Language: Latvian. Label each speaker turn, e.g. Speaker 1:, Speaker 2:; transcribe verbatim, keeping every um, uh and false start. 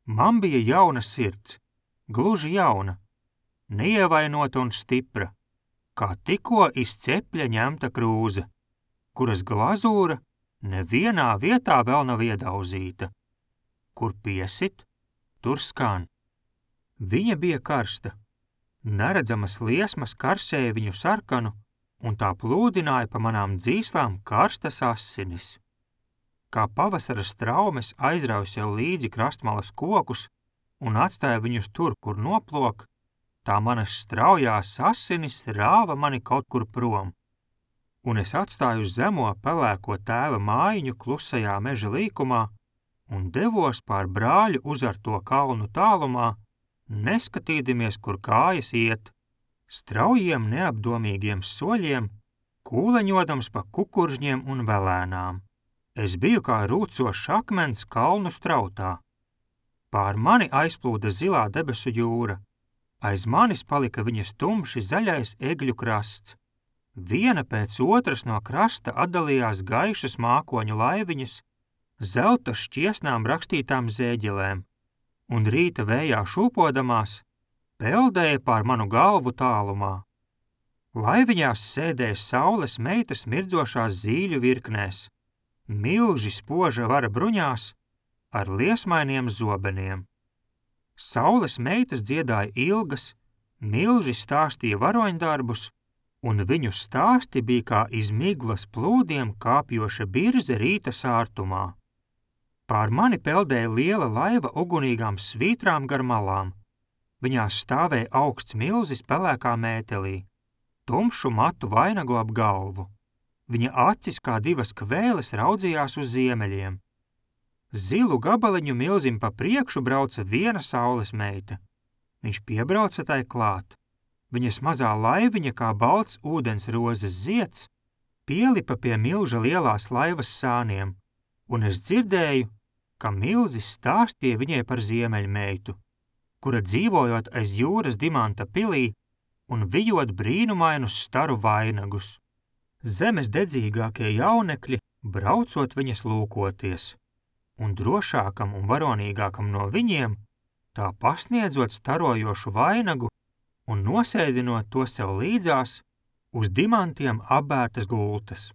Speaker 1: Man bija jauna sirds, gluži jauna, neievainota un stipra, kā tikko iz cepļa ņemta krūze, kuras glazūra nevienā vietā vēl nav iedauzīta. Kur piesit, tur skan. Viņa bija karsta, neredzamas liesmas karsēja viņu sarkanu, un tā plūdināja pa manām dzīslām karstas asinis. Kā pavasara straumes aizrauj sev līdzi krastmalas kokus un atstāja viņus tur, kur noplok, tā manas straujās asinis rāva mani kaut kur prom, un es atstāju zemo pelēko tēva mājiņu klusajā meža līkumā un devos pār brāļu uzarto kalnu tālumā, neskatīdamies, kur kājas iet, straujiem neapdomīgiem soļiem, kūleņodams pa kukuržņiem un velēnām. Es biju kā rūcošs akmens kalnu strautā. Pār mani aizplūda zilā debesu jūra, aiz manis palika viņas tumši zaļais egļu krasts. Viena pēc otras no krasta atdalījās gaišas mākoņu laiviņas, zelta šķiesnām rakstītām zēģelēm, un rīta vējā šūpodamās peldēja pār manu galvu tālumā. Laiviņās sēdēja saules meitas mirdzošās zīļu virknēs, milži spoža vara bruņās ar liesmainiem zobeniem. Saules meitas dziedāja ilgas, milži stāstīja varoņdarbus, un viņu stāsti bija kā iz miglas plūdiem kāpjoša birze rīta sārtumā. Pār mani peldēja liela laiva ugunīgām svītrām gar malām. Viņās stāvēja augsts milzis pelēkā mētelī, tumšu matu vainagu ap galvu. Viņa acis kā divas kvēles raudzījās uz ziemeļiem. Zilu gabaliņu milzim pa priekšu brauca viena saules meita. Viņš piebrauca tai klāt. Viņas mazā laiviņa kā balts ūdens rozes zieds pielipa pie milža lielās laivas sāniem, un es dzirdēju, ka milzis stāstīja viņai par ziemeļmeitu, kura dzīvojot aiz jūras dimanta pilī un vijot brīnumainus staru vainagus. Zemes dedzīgākie jaunekļi, braucot viņas lūkoties, un drošākam un varonīgākam no viņiem, tā pasniedzot starojošu vainagu un nosēdinot to sev līdzās uz dimantiem apbērtas gultas.